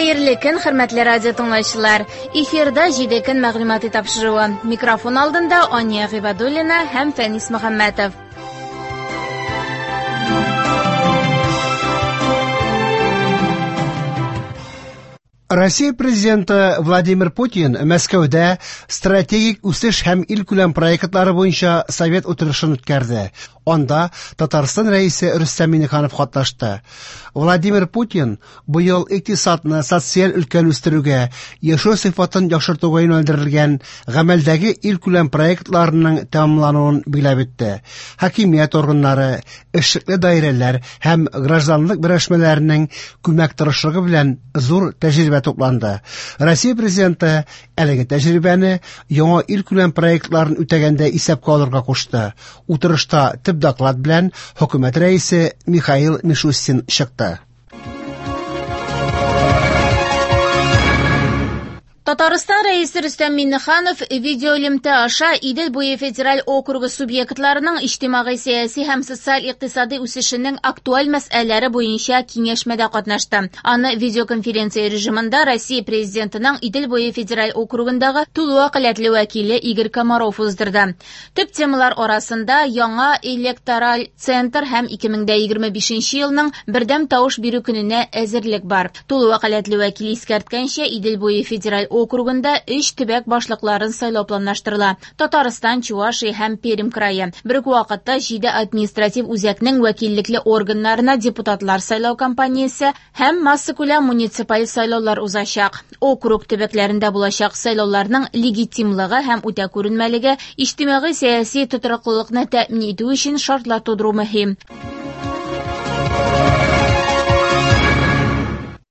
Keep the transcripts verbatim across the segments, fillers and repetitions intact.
Хәерле көн, хөрмәтле радио тыңлаучылар. Эфирда җиде көн мәгълүмати тапшыруы. Микрофон алдында Ания Гыйбадуллина һәм Фәнис Мөхәммәтов. Россия президенты Владимир Путин Мәскәүдә стратегик үсеш һәм илкүләм проектлары буенча совет утырышын үткәрде. Анда Татарстан рәисе Рөстәм Миңнеханов катнашты. Владимир Путин быел икътисадны социаль өлкәне үстерүгә, яшәү сыйфатын яхшыртуга юнәлдерелгән гамәлдәге илкүләм проектларының тәмамлануын билгеләп үтте. Хакимият органнары, эшлекле даирәләр һәм гражданлык берләшмәләренең күмәк тырышлыгы белән зур тәҗрибә тупланды. Россия президенты әлеге тәҗрибәне яңа илкүләм проектларын үтәгәндә исәпкә алырга кушты. Утырышта төп доклад белән хөкүмәт рәисе Михаил Мишустин чыкты. Татарстан рәисе Рөстәм Миңнеханов видеоэлемтә аша Идел буе федераль округы субъектларының иҗтимагый-сәяси һәм социаль-икътисади үсешенең актуаль мәсьәләләре буенча киңәшмәдә катнашты. Аны видеоконференция режимында Россия президентының Идел буе федераль округындагы тулы вәкаләтле вәкиле Игорь Комаров уздырды. Төп темалар арасында яңа электораль центр һәм ике мең егерме бишенче елның бердәм тавыш бирү көненә әзерлек бар. Тулы вәкаләтле вәкил искәрткәнчә, Идел буе федераль округында өч төбәк башлыкларын сайлау планлаштырыла: Татарстан, Чувашия һәм Пермь крае. Бер үк вакытта җиде административ үзәкнең вәкиллекле органнарына депутатлар сайлау кампаниясе һәм массакүләм муниципаль сайлаулар узачак. Округ төбәкләрендә булачак сайлауларның легитимлыгы һәм үтә күренмәлеге иҗтимагый-сәяси тотрыклылыкны тәэмин итү өчен шартлар тудыру мөһим.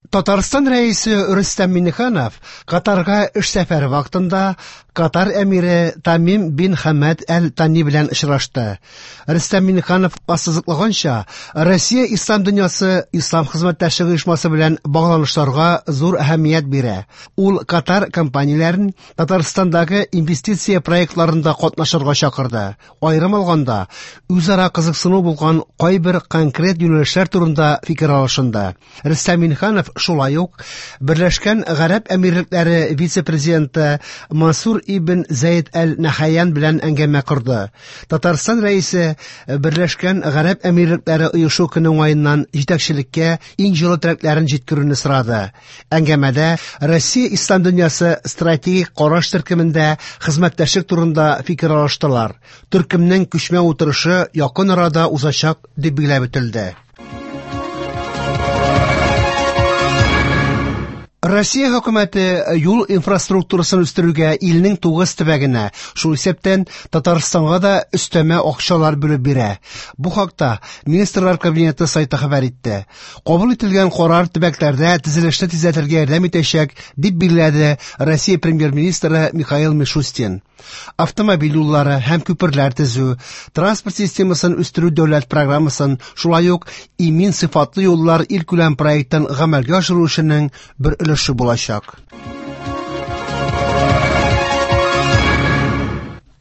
Татарстан рәисе Рөстәм Миңнеханов Катарга эш сәфәре вакытында Катар әмире Тамим бин Хамад әл-Тани белән очрашты. Рөстәм Миңнеханов ассызыклаганча, Россия ислам дөньясы ислам хезмәттәшлеге оешмасы белән багланышларга зур әһәмият бирә. Ул Катар компанияләрен Татарстандагы инвестиция проектларында катнашырга чакырды. Аерым алганда, үзара кызыксыну булган кайбер конкрет юнәлешләр турында фикер алышынды. Рөстәм Миңнеханов шулай ук Берләшкән Гарәп Әмирлекләре вице-президенты Мансур ибн Зәйд әл-Нахаян белән әңгәмә корды. Татарстан рәисе Берләшкән Гарәп Әмирлекләре оешу көне уңаеннан җитәкчелеккә иң җылы теләкләрен җиткерүне сорады. Әңгәмәдә Россия ислам дөньясы стратегик караш төркемендә хезмәттәшлек турында фикер алыштылар. Төркемнең күчмә утырышы якын арада узачак дип билгеләп үтелде. Россия хөкүмәте юл инфраструктурасын үстерүгә илнең тугыз төбәгенә, шул исәптән Татарстанга да өстәмә акчалар бүлеп бирә. Бу хакта Министрлар Кабинеты сайты хәбәр итте. Кабул ителгән карар төбәкләрдә төзелешне тизләтергә ярдәм итәчәк, дип билгеләде Россия премьер-министры Михаил Мишустин. Автомобиль юллары һәм күперләр төзү, транспорт системасын үстерү дәүләт программасын, шулай ук имин сыйфатлы юллар илкүләм проектын гамәлгә ашыру эшенең бер өлеше булачак.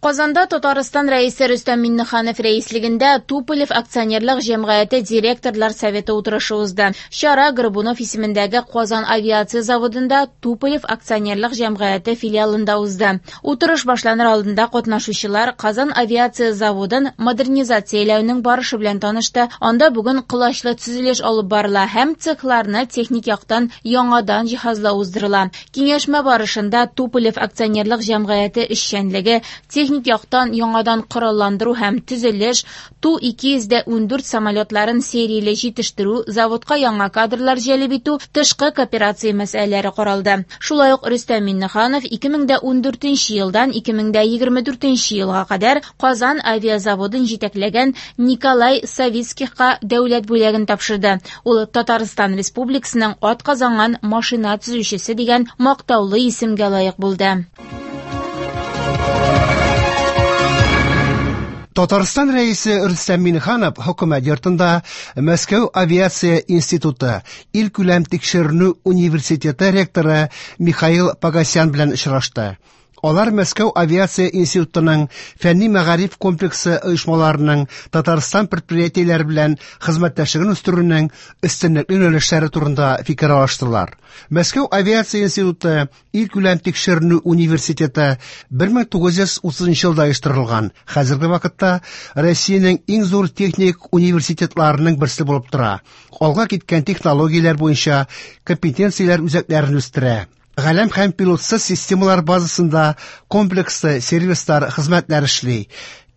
Казанда Татарстан рәисе Рөстәм Миңнеханов рәислегендә Туполев акционерлык җәмгыяте директорлар советы утырышы узды. Чара Горбунов исемендәге Казан авиация заводында Туполев акционерлык җәмгыяте филиалында узды. Утырыш башланыр алдында катнашучылар Казан авиация заводын модернизацияләүнең барышы белән танышты. Анда бүген колачлы төзелеш алып барыла һәм цехларны техник яктан яңадан җиһазлау уздырыла. Киңәшмә барышында Туполев акционерлык җәмгыяте эшчәнлеге, техник яктан яңадан коралландыру һәм төзелеш, Ту ике йөз ун дүрт самолетларын серияле җитештерү, заводка яңа кадрлар җәлеп итү, тышкы кооперация мәсьәләләре каралды. Шулай ук Рөстәм Миңнеханов ике мең ун дүртенче елдан ике мең егерме дүртенче елга кадәр Казан авиазаводын җитәкләгән Николай Савицкихка дәүләт бүләген тапшырды. Ул Татарстан Республикасының атказанган машина төзүчесе дигән мактаулы исемгә лаек булды. Татарстан рәисе Рөстәм Миңнеханов хөкүмәт йортында Мәскәү авиация институты илкүләм тикшеренү университеты ректоры Михаил Погосян белән очрашты. Алар Мәскәү авиация институтының фәнни мәгариф комплексы оешмаларының Татарстан предприятиеләре белән хезмәттәшлеген үстерүнең өстенлекле юнәлешләре турында фикер алыштылар. Мәскәү авиация институты илкүләм тикшеренү университеты бер мең тугыз йөз утызынчы елда оештырылган. Хәзерге вакытта Россиянең иң зур техник университетларының берсе булып тора. Алга киткән технологияләр буенча компетенцияләр үзәкләрен үстерә. Галәм һәм пилотсыз системалар базасында комплекслы сервислар, хезмәтләр эшли.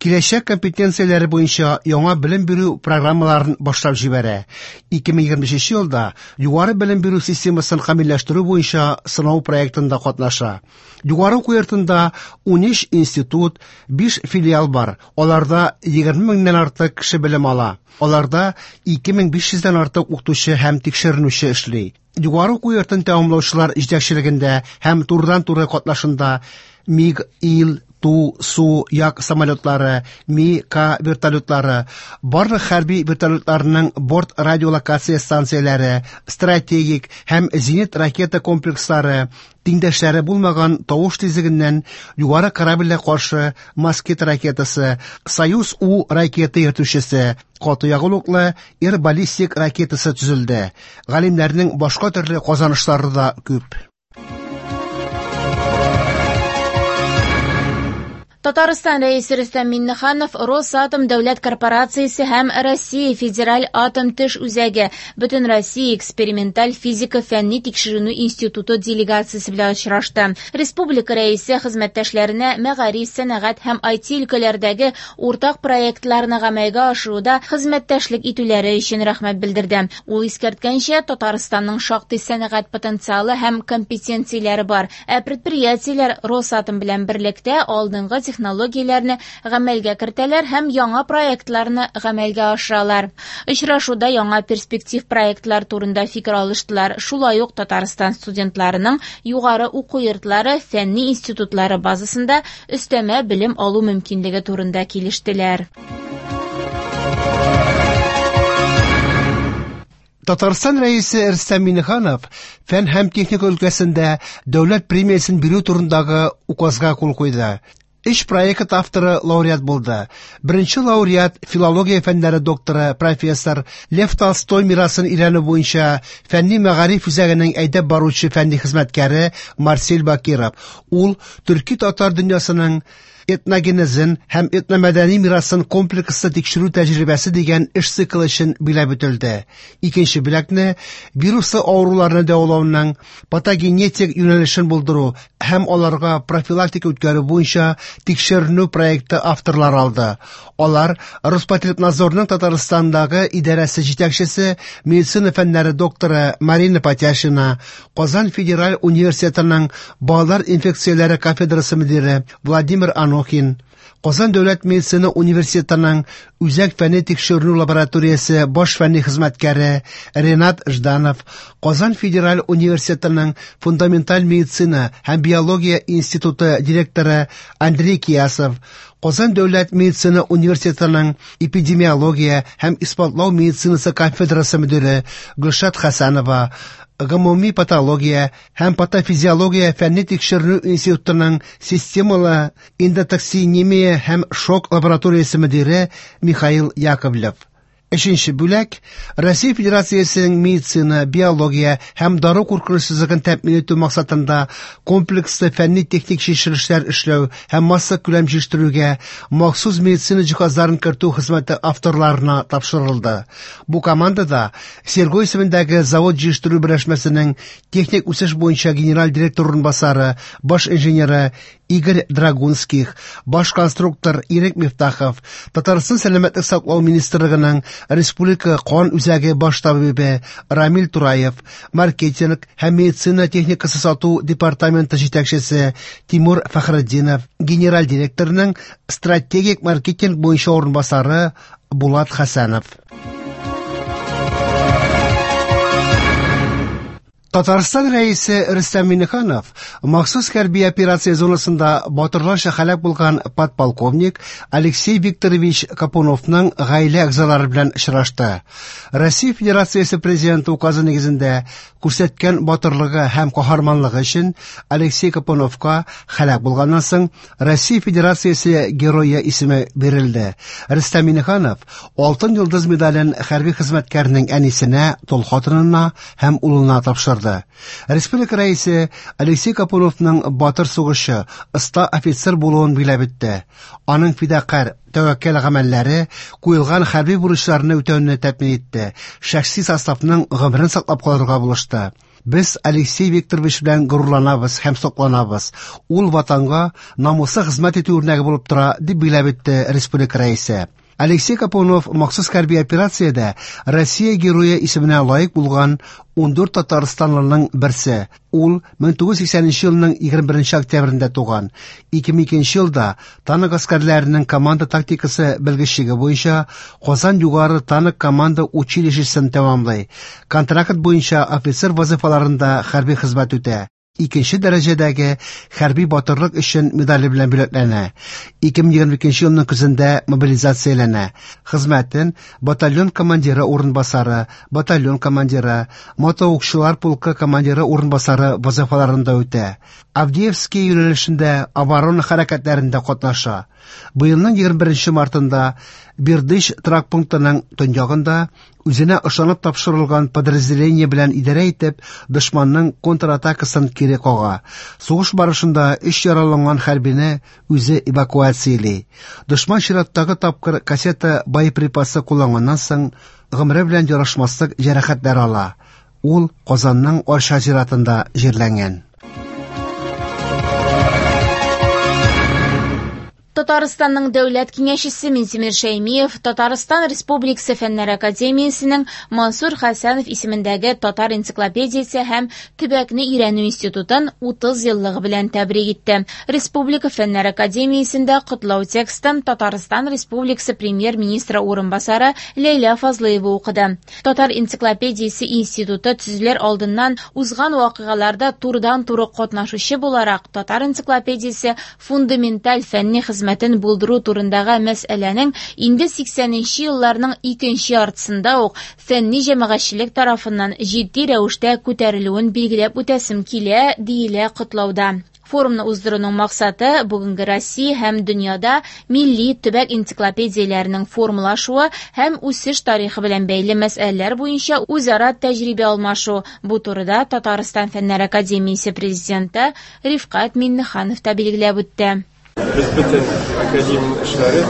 Киләчәк компетенцияләре буенча яңа белем бирү программаларын башлап җибәрә. ике мең егерме өченче елда югары белем бирү системасын камилләштерү буенча сынау проектында катнаша. Югары уку йортында ун өч институт, биш филиал бар. Аларда егерме меңнән артык кеше белем ала. Аларда ике мең биш йөздән артык укытучы һәм тикшеренүче эшли. Югары уку йортын тәмамлаучылар җитәкчелегендә һәм турыдан-туры катнашында МиГ, Ил, Ту, Су, Як самолетлары, Ми, К вертолетлары, барлык хәрби вертолетларының борт радиолокация станцияләре, стратегик һәм зенит ракета комплекслары, тиңдәшләре булмаган тавыш тизлегеннән югары корабльгә каршы Москит ракетасы, Союз У ракета йөртүчесе, каты ягулыклы Ир баллистик ракетасы төзелде. Галимнәрнең башка төрле казанышлары да күп. Татарстан Рәисе Рөстәм Миңнеханов Росатом дәүләт корпорациясе һәм Россия Федераль атом төш үзәге Бөтенроссия эксперименталь физика фәнни тикшеренү институты делегациясе белән очрашты. Республика Рәисе хезмәттәшләренә мәгариф, сәнәгать һәм ай ти өлкәләрдәге уртак проектларны гамәлгә ашыруда хезмәттәшлек итүләре өчен рәхмәт белдерде. Ул искәрткәнчә, Татарстанның шактый сәнәгать потенциалы һәм компетенцияләре бар. Ә предприятиеләр Росатом белән берлектә алдынгы технологияләрне гамәлгә кертәләр һәм яңа проектларны гамәлгә ашыралар. Очрашуда яңа перспектив проектлар турында фикер алыштылар. Шулай ук Татарстан студентларының югары уку йортлары, фәнни институтлары базасында өстәмә белем алу мөмкинлеге турында килештеләр. Татарстан Рәисе Рөстәм Миңнеханов фән һәм техника өлкәсендә дәүләт премиясен бирү турындагы указга кул куйды. Өч проект авторы лауреат булды. Беренче лауреат филология фәннәре докторы, профессор Лев Толстой мирасын өйрәнү буенча фәнни мәгариф үзәгенең әйдәп баручы фәнни хезмәткәре Марсель Бакиров. Ул төрки татар дөньясының этногенезын һәм этномәдәни мирасын комплекслы тикшерү тәҗрибәсе дигән эш циклы өчен биләп үтелде. Икенче бүләкне вируслы авыруларны дәвалауның патогенетик юнәлешен булдыру һәм аларга профилактика үткәрү буенча тикшеренү проекты авторлары алды. Алар Роспотребнадзорның Татарстандагы идарәсе җитәкчесе, медицина фәннәре докторы Марина Патяшина, Казан федераль университетының балалар инфекцияләре кафедрасы мөдире Владимир Анохин, Казан дәүләт медицина университетының Үзәк фәнни тикшеренү лабораториясе баш фәнни хезмәткәре Ренат Жданов, Казан федераль университетының фундаменталь медицина һәм биология институты директоры Андрей Киясов, Казан дәүләт медицина университетының эпидемиология һәм исбатлау медицинасы кафедрасы мөдире Гөлшат Хәсәнова, гомуми патология һәм патофизиология фәнни тикшеренү институтының системалы эндотоксинемия һәм шок лабораториясе мөдире Михаил Яковлев. Өченче бүләк Россия Федерациясенең медицина, биология һәм дару куркынычсызлыгын тәэмин итү максатында комплекслы фәнни-техник тикшерешләр эшләү һәм массакүләм җитештерүгә махсус медицина җиһазларын кертү хезмәте авторларына тапшырылды. Бу командада Серго исемендәге завод җитештерү берләшмәсенең техник үсеш буенча генераль директор урынбасары, баш инженеры Игорь Драгунских, баш конструктор Ирек Мифтахов, Татарстан сәламәтлек саклау министрлыгының Республика кан үзәге баш табибы Рамил Тураев, маркетинг һәм медицина техникасы сату департаменты җитәкчесе Тимур Фәхретдинов, генераль директорның стратегик маркетинг буенча урынбасары Булат Хәсәнов. Татарстан Рәисе Рөстәм Миңнеханов махсус хәрби операция зонасында батырларча һәлак булган подполковник Алексей Викторович Капуновның гаилә әгъзалары белән очрашты. Россия Федерациясе Президенты указы нигезендә күрсәткән батырлыгы һәм каһарманлыгы өчен Алексей Капуновка һәлак булганнан соң Россия Федерациясе Герое исеме бирелде. Рөстәм Миңнеханов Алтын Йолдыз медален хәрби хезмәткәрнең әнисенә, тол хатынына һәм улына тапшырды. Республика рәисе Алексей Капуновның батыр сугышчы, оста офицер булуын билгеләп үтте. Аның фидакарь, тәвәккәл гамәлләре куелган хәрби бурычларны үтәүне тәэмин итте, шәхси составның гомерен саклап калырга булышты. Без Алексей Викторович белән горурланабыз һәм сокланабыз. Ул ватанга намуслы хезмәт итү үрнәге булып тора, дип билгеләп үтте республика рәисе. Алексей Капунов махсус хәрби операциядә Россия Герое исеменә лаек булган ун дүрт татарстанлының берсе. Ул мең тугыз йөз сиксәненче елның егерме беренче октябрендә туган. Ике мең икенче елда танк гаскәрләренең команда тактикасы белгечлеге буенча Казан югары танк команда училищесын тәмамлый. Контракт буенча офицер вазифаларында хәрби хезмәт үтә. Икенче дәрәҗәдәге хәрби батырлык өчен медале белән бүләкләнә. Ике мең егерме икенче елның көзендә мобилизацияләнә. Хезмәтен батальон командиры урынбасары, батальон командиры, мотоукчылар полкы командиры урынбасары вазифаларында үтә. Авдеевский юнәлешендә оборона хәрәкәтләрендә катнаша. Быелның егерме беренче мартында Бердыш торак пунктының төньягында үзенә ышанып тапшырылган подразделение белән идарә итеп, дошманның контратакасын кире кага. Сугыш барышында өч яраланган хәрбине үзе эвакуацияли. Дошман чираттагы тапкыр кассета боеприпасы кулланганнан соң гомере белән ярашмаслык җәрәхәтләр ала. Ул Казанның Арча зиратында җирләнгән. Татарстанның дәүләт киңәшчесе Минтимер Шәймиев Татарстан Республикасы Фәннәр Академиясенең Мансур Хәсәнов исемендәге Татар энциклопедиясе һәм төбәкне өйрәнү институтын утыз еллыгы белән тәбрик итте. Республика Фәннәр Академиясендә котлау текстын Татарстан Республикасы премьер-министры урынбасары Ләйлә Фазлыева укыды. Татар энциклопедиясе институты төзелер алдыннан узган вакыйгаларда турыдан-туры катнашучы буларак Татар энциклопедиясе фундаменталь фәнни хезмәтен булдыру турындагы мәсьәләнең инде сиксәненче елларның икенче яртысында ук фәнни җәмәгатьчелек тарафыннан җитди рәвештә күтәрелүен билгеләп үтәсем килә, диелә котлауда. Форумны уздыруның максаты бүгенге Россия һәм дөньяда милли төбәк энциклопедияләренең формалашуы һәм үсеш тарихы белән бәйле мәсьәләләр буенча үзара тәҗрибә алмашу. Бу турыда Татарстан Фәннәр Академиясе президенты Рифкать Миңнеханов та билгеләп үтте. Без бөтен академия эшләре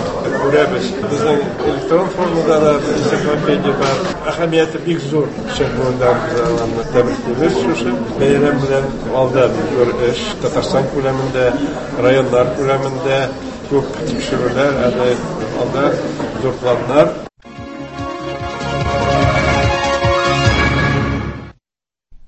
күрәбез. Безнең электрон формада да энциклопедия бар. Әһәмияте бик зур. Чын без аларны тәбриклибез шушы бәйрәм белән. Алда бик зур эш Татарстан күләмендә, районнар күләмендә күп тикшерүләр, әле алда зур планнар.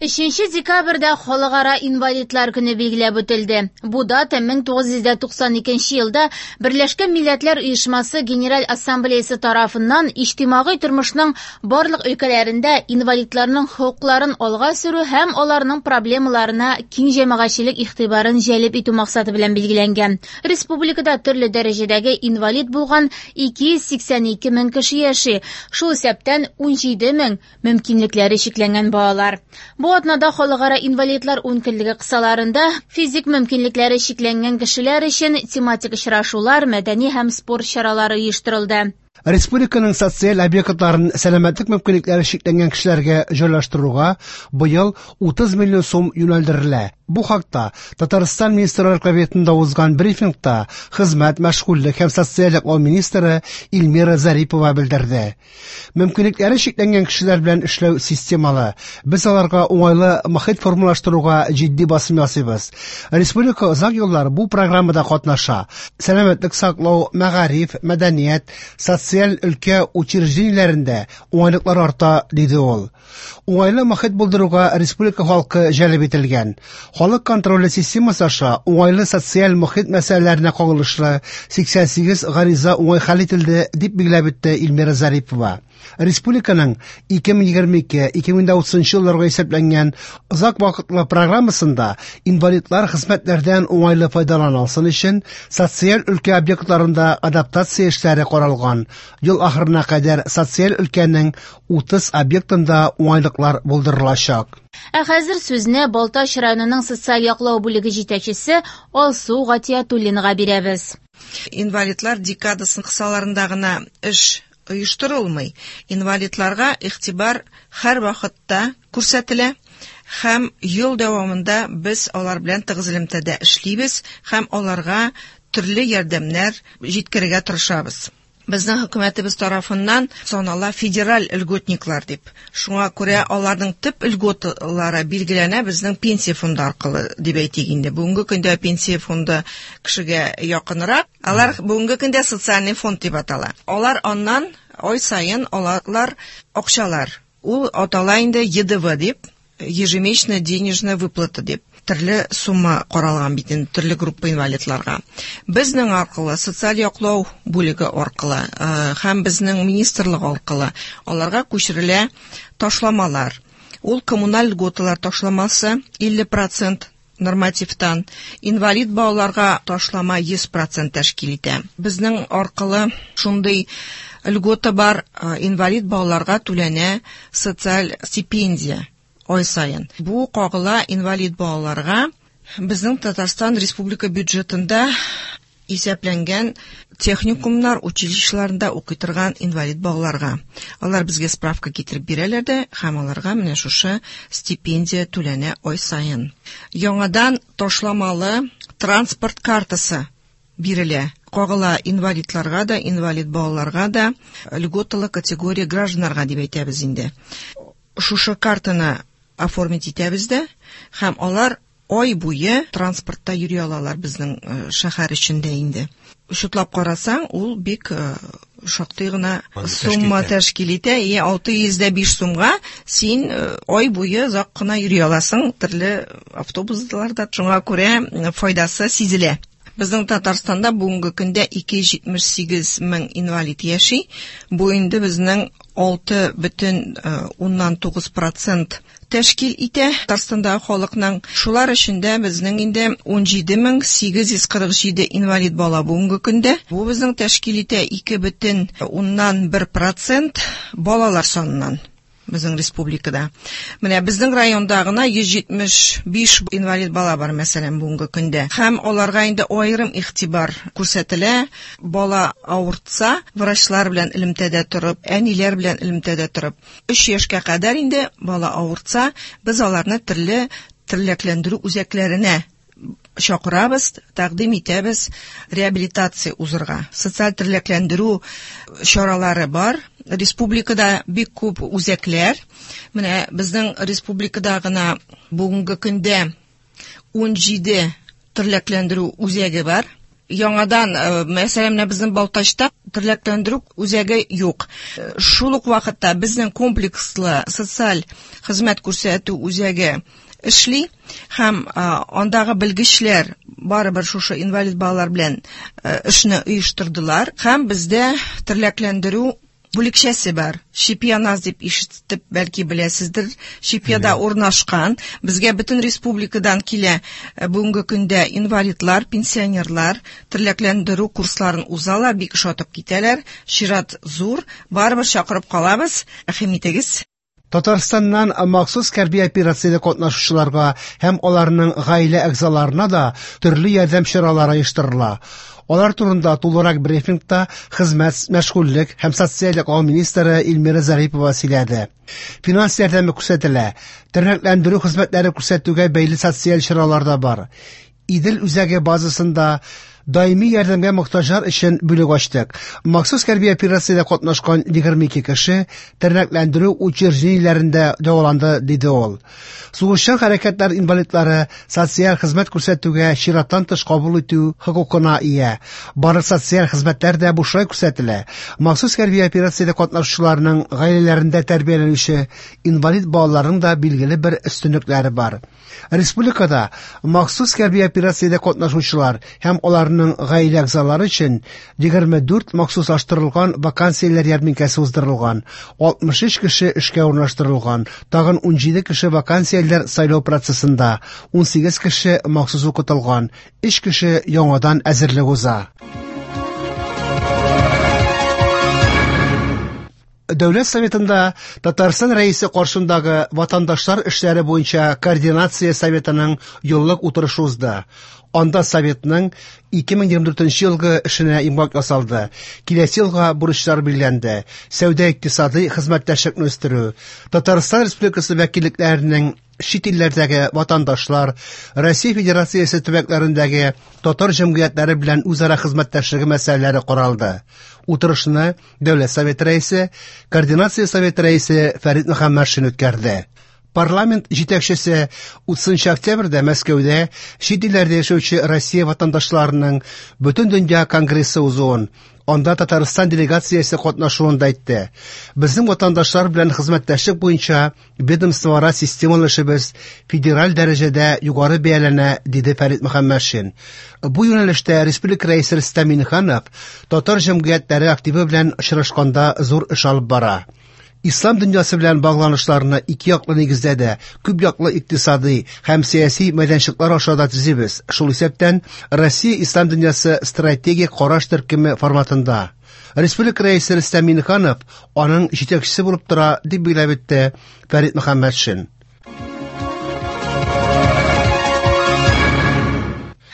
Өченче декабрьдә Халыкара инвалидлар көне билгеләп үтелде. Бу дата мең тугыз йөз туксан икенче елда Берләшкән Милләтләр Оешмасы Генераль Ассамблеясы тарафыннан иҗтимагый тормышның барлык өлкәләрендә инвалидларның хокукларын алга сөрү һәм аларның проблемаларына киң җәмәгатьчелек игътибарын җәлеп итү максаты белән билгеләнгән. Республикада төрле дәрәҗәдәге инвалид булган ике йөз сиксән ике мең кеше яши, шул исәптән ун җиде мең мөмкинлекләре чикләнгән балалар. Бу атнада Халыкара инвалидлар ункөнлеге кысаларында физик мөмкинлекләре чикләнгән кешеләр өчен тематик очрашулар, мәдәни һәм спорт чаралары оештырылды. Республиканың социаль объектларын сәламәтлек мөмкинлекләре чикләнгән кешеләргә җайлаштыруга быел утыз миллион сум юнәлдерелә. Бу хакта Татарстан Министрлар Кабинетында узган брифингта хезмәт, мәшгульлек һәм социаль яклау министры Эльмира Зарипова белдерде. Мөмкинлекләре чикләнгән кешеләр белән эшләү системалы. Без аларга уңайлы мохит формалаштыруга җитди басым ясыйбыз. Республика озак еллар бу программада катнаша. Сәламәтлек саклау, мәгариф, мәдәният, социаль Социаль өлкә учреждениеләрендә уңайлыклар арта, диде ул. Уңайлы мохит булдыруга республика халкы җәлеп ителгән. Халык контроле системасы аша уңайлы социаль мохит мәсьәләләренә кагылышлы сиксән сигез гариза уңай хәл ителде, дип билгеләп үтте Эльмира Зарипова. Республиканың ике мең егерме ике - ике мең утызынчы елларга исәпләнгән озак вакытлы программасында инвалидлар хезмәтләрдән уңайлы файдалана алсын өчен социаль өлкә объектларында адаптация эшләре каралган. Ел ахырына кадәр социаль өлкәнең утыз объектында уңайлыклар булдырылачак. Ә хәзер сүзне Балтач районының социаль яклау бүлеге җитәкчесе Алсу Гатиятуллинага бирәбез. Инвалидлар декадасы кысаларында гына эш оештырылмый. Инвалидларга игътибар һәр вакытта күрсәтелә һәм ел дәвамында без алар белән тыгыз элемтәдә эшлибез һәм аларга төрле ярдәмнәр җиткерергә тырышабыз. Безнең хөкүмәтебез тарафыннан санала федераль льготниклар дип. Шуңа күрә аларның төп льготалары билгеләнә безнең пенсия фонды аркылы дип әйтик инде. Бүгенге көндә пенсия фонды кешегә якынрак. Алар бүгенге көндә социальный фонд дип атала. Алар аннан ай саен алалар акчалар. Ул атала инде Е Д В дип, ежемесячная денежная выплата дип. Төрле сумма каралган бит инде төрле группа инвалидларга. Безнең аркылы социаль яклау бүлеге аркылы, э, һәм безнең министрлык аркылы аларга күчерелә ташламалар. Ул коммуналь льготалар ташламасы илле процент нормативтан, инвалид балаларга ташлама йөз процент тәшкил итә. Безнең аркылы шундый льгота бар, э, инвалид балаларга түләнә социаль стипендия ай саен. Бу кагыла инвалид балаларга. Безнең Татарстан Республика бюджетында исәпләнгән техникумнар, училищеларында укый торган инвалид балаларга. Алар безгә справка китереп бирәләр дә һәм аларга менә шушы стипендия түләнә ай саен. Яңадан ташламалы транспорт картасы бирелә. Кагыла инвалидларга да, инвалид балаларга да, льготалы категория гражданнарга дип әйтәбез инде. Шушы картаны оформить итәбез дә һәм алар ай буе транспортта йөри алалар безнең, э, шәһәр эчендә инде. Шутлап карасаң, ул бик, э, шактый гына Аны тәшкил сумма итә. тәшкил итә. И алты йөз дә биш сумга син, э, ай буе озак кына йөри аласың төрле автобусларда. Шуңа күрә, э, файдасы сизелә. Безнең Татарстанда бүгенге көндә ике йөз җитмеш сигез мең инвалид яши. Бу инде безнең алты бөтен, э, уннан тугыз процент тәшкил итә Татарстандагы халыкның. Шулар эчендә безнең инде ун җиде мең сигез йөз кырык җиде инвалид бала бүгенге көндә. Бу безнең тәшкил итә ике бөтен уннан бер процент балалар саныннан безнең республикада. Менә безнең районда гына йөз җитмеш биш инвалид бала бар, мәсәлән, бүгенге көндә. Һәм аларга инде аерым игътибар күрсәтелә. Бала авыртса, врачлар белән элемтәдә торып, әниләр белән элемтәдә торып, өч яшькә кадәр инде бала авыртса, без аларны төрле тернәкләндерү үзәкләренә чакырабыз, тәкъдим итәбез реабилитация узырга. Социаль тернәкләндерү чаралары бар. Республикада бик күп үзәкләр. Менә безнең республикада гына бүгенге көндә ун җиде тернәкләндерү үзәге бар. Яңадан, э, мәсәлән, менә безнең Балтачта тернәкләндерү үзәге юк. Э, шул ук вакытта безнең комплекслы социаль хезмәт күрсәтү үзәге эшли һәм, э, андагы белгечләр барыбер шушы инвалид балалар белән, э, эшне оештырдылар һәм бездә тернәкләндерү бүлекчәсе бар. Чепьяназ дип ишетеп бәлки беләсездер. Чепьяда Әйе. урнашкан. Безгә бөтен республикадан килә, э, бүгенге көндә инвалидлар, пенсионерлар тернәкләндерү курсларын узалар, бик ошатып китәләр. Чират зур, барыбер чакырып калабыз. Рәхим итегез. Татарстаннан махсус хәрби операциядә катнашучыларга һәм аларның гаилә әгъзаларына да төрле ярдәм чаралары оештырыла. Алар турында тулырак брифингта хезмәт, мәшгульлек һәм социаль яклау министры Эльмира Зарипова сөйләде. Финанс ярдәме күрсәтелә,ternaklандыру хезмәтләре күрсәтүгә бәйле социаль чаралар да бар. Идел үзәге базасында Даими ярдәмгә мохтаҗлар өчен бүлек ачтык. Махсус хәрби операциядә катнашкан егерме ике кеше тернәкләндерү учреждениеләрендә дәваланды, диде ул. Сугышчан хәрәкәтләр инвалидлары социаль хезмәт күрсәтүгә чираттан тыш кабул итү хокукына ия. Барлык социаль хезмәтләр дә бушлай күрсәтелә. Махсус хәрби операциядә катнашучыларның гаиләләрендә тәрбияләнүче инвалид балаларның да билгеле бер өстенлекләре бар. Республикада махсус хәрби операциядә катнашучылар һәм аларның гаилә әгъзалары өчен егерме дүрт махсуслаштырылган вакансияләр ярминкәсе уздырылган, алтмыш өч кеше эшкә урнаштырылган, тагын ун җиде кеше вакансияләр сайлау процессында, ун сигез кеше махсус укытылган, өч кеше яңадан әзерлек уза. Дәүләт Советында Татарстан Рәисе каршындагы ватандашлар эшләре буенча координация советының еллык утырышы узды. Анда советның ике мең егерме дүртенче елгы эшенә йомгак ясалды. Киләсе елга бурычлар билгеләнде. Сәүдә-икътисади хезмәттәшлекне үстерү, Татарстан Республикасы вәкиллекләренең чит илләрдәге ватандашлар, Россия Федерациясе төбәкләрендәге татар җәмгыятьләре белән үзара хезмәттәшлеге мәсьәләләре каралды. Утырышны Дәүләт Советы рәисе, Координация Советы рәисе Фәрит Мөхәммәтшин үткәрде. Парламент җитәкчесе утызынчы октябрьдә Мәскәүдә чит илләрдә яшәүче Россия ватандашларының Бөтендөнья конгрессы узуын, анда Татарстан делегациясе катнашуын да әйтте. Безнең ватандашлар белән хезмәттәшлек буенча ведомствоара системалы эшебез федераль дәрәҗәдә югары бәяләнә, диде Фәрит Мөхәммәтшин. Бу юнәлештә республика рәисе Рөстәм Миңнеханов татар җәмгыятьләре активы белән очрашканда зур эш алып бара. Ислам дөньясы белән багланышларны ике яклы нигездә дә, күп яклы икътисади һәм сәяси мәйданчыклар аша да төзибез. Шул исәптән Россия Ислам дөньясы стратегик караш төркеме форматында. Республика рәисе Рөстәм Миңнеханов аның җитәкчесе булып тора, дип билгеләп үтте Фәрит Мөхәммәтшин.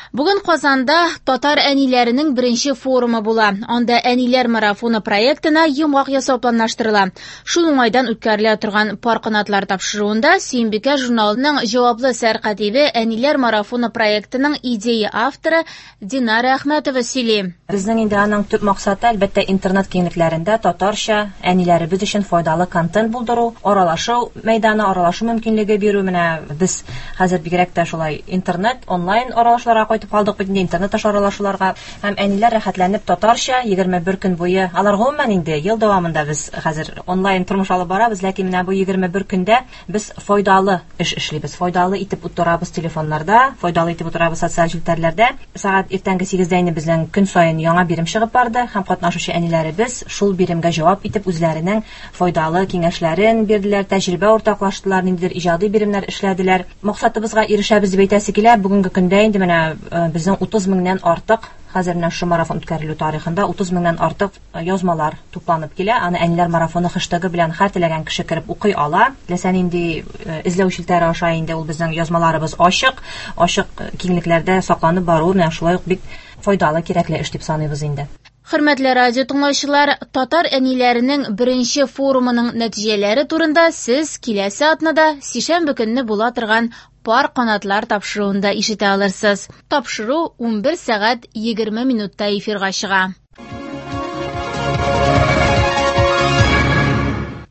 Бүген Казанда татар әниләренең беренче форумы була. Анда әниләр марафоны проектына йомгак ясау планлаштырыла. Шул уңайдан үткәрелә торган пар канатлар тапшыруында Сөембикә журналының җаваплы сәркатибе әниләр марафоны проектының идея авторы Динара Әхмәтова сөйли. Безнең инде аның төп максаты, әлбәттә, интернет киңлекләрендә татарча әниләребез өчен файдалы контент булдыру, аралашу мәйданы, аралашу мөмкинлеге бирү. Менә без хәзер бигрәк тә шулай интернет, онлайн аралашуларга кайтып калдык бит инде, интернет аша аралашуларга. Һәм әниләр рәхәтләнеп татарча егерме бер көн буе, алар гомумән инде ел дәвамында без хәзер онлайн тормыш алып барабыз, ләкин менә бу егерме бер көндә без файдалы эш эшлибез, файдалы итеп утырабыз телефоннарда, файдалы итеп утырабыз социаль челтәрләрдә. Сәгать иртәнге сигездә инде безнең көн саен яңа бирем чыгып барды һәм катнашучы әниләребез шул биремгә җавап итеп үзләренең файдалы киңәшләрен бирделәр, тәҗрибә уртаклаштылар, ниндидер иҗади биремнәр эшләделәр. Максатыбызга ирешәбез дип әйтәсе килә. Бүгенге көндә инде менә безнең утыз меңнән артык, хәзер менә шул марафон үткәрелү тарихында утыз меңнән артык язмалар тупланып килә. Аны әниләр марафоны хэштегы белән һәр теләгән кеше кереп укый ала. Теләсә нинди эзләү челтәре аша инде ул безнең язмаларыбыз ачык, ачык киңлекләрдә сакланып бару менә шулай ук бик файдалы, кирәкле эш дип саныйбыз инде. Хөрмәтле радио тыңлаучылар, татар әниләренең беренче форумының нәтиҗәләре турында сез киләсе атнада сишәмбе көнне була торган пар канатлар тапшыруында ишетә алырсыз. Тапшыру ун бер сәгать егерме минутта эфирга чыга.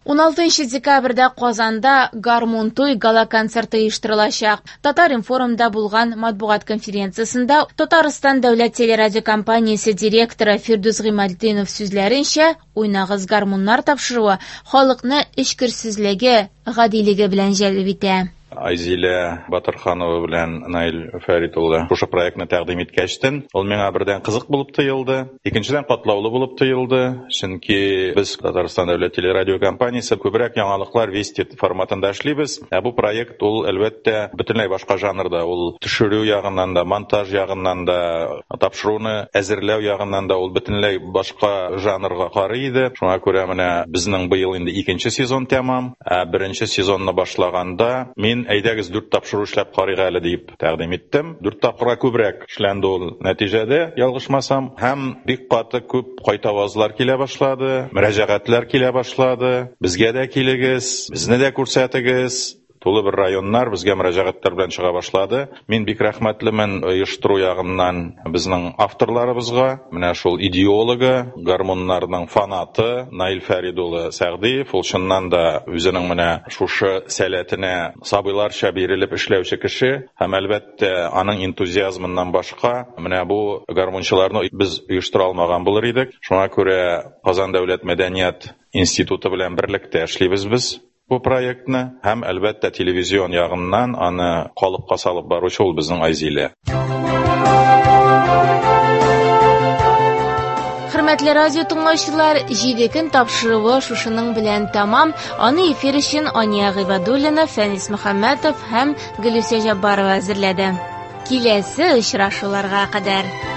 ун алтынчы декабрьдә Казанда Гармун туй гала-концерты оештырылачак. Татар-информда булган матбугат конференциясендә Татарстан дәүләт телерадиокомпаниясе директоры Фирдүс Гыймалтдинов сүзләренчә, уйнагыз гармуннар тапшыруы халыкны эчкерсезлеге, гадилеге белән җәлеп итә. Айзилә Батырханова белән Наил Фәрит улы шушы проектны тәкъдим иткәчтен, ул миңа бердән кызык булып тоелды, икенчедән катлаулы булып тоелды, чөнки без Татарстан дәүләт телерадиокомпаниясе күбрәк яңалыклар Вести форматында эшлибез. Ә бу проект ул әлбәттә бөтенләй башка жанрда, ул төшерү ягыннан да, монтаж ягыннан да, тапшыруны әзерләү ягыннан да ул бөтенләй башка жанрга карый иде. Шуңа күрә менә безнең быел инде икенче сезон тәмам. Ә беренче сезонны башлаганда мин әйдәгез дүрт тапшыру эшләп карыйк әле дип тәкъдим иттем. Дүрт тапкырга күбрәк эшләнде ул нәтиҗәдә, ялгышмасам, һәм бик каты күп кайтавазлар килә башлады, мөрәҗәгатьләр килә башлады. Безгә дә килегез, безне дә күрсәтегез. Тулы бер районнар безгә мөрәҗәгатьләр белән чыга башлады. Мин бик рәхмәтлемен оештыру ягыннан безнең авторларыбызга. Менә шул идеологы, гармуннарның фанаты Наил Фәрид улы Сәгъдиев, ул чыннан да үзенең менә шушы сәләтенә сабыйларча бирелеп эшләүче кеше һәм әлбәттә аның энтузиазмыннан башка менә бу гармунчыларны без оештыра алмаган булыр идек. Шуңа күрә Казан дәүләт мәдәният институты белән берлектә эшлибез без бу проектны һәм әлбәттә телевизион ягыннан аны калыпка салып баручы ул безнең Айзилә. Хөрмәтле радио тыңлаучылар, җиде көн тапшыруы шушының белән тәмам. Аны эфир өчен Ания Гыйбадуллина, Фәнис Мөхәммәтов һәм Гөлүсә Җаббарова әзерләде. Киләсе очрашуларга кадәр.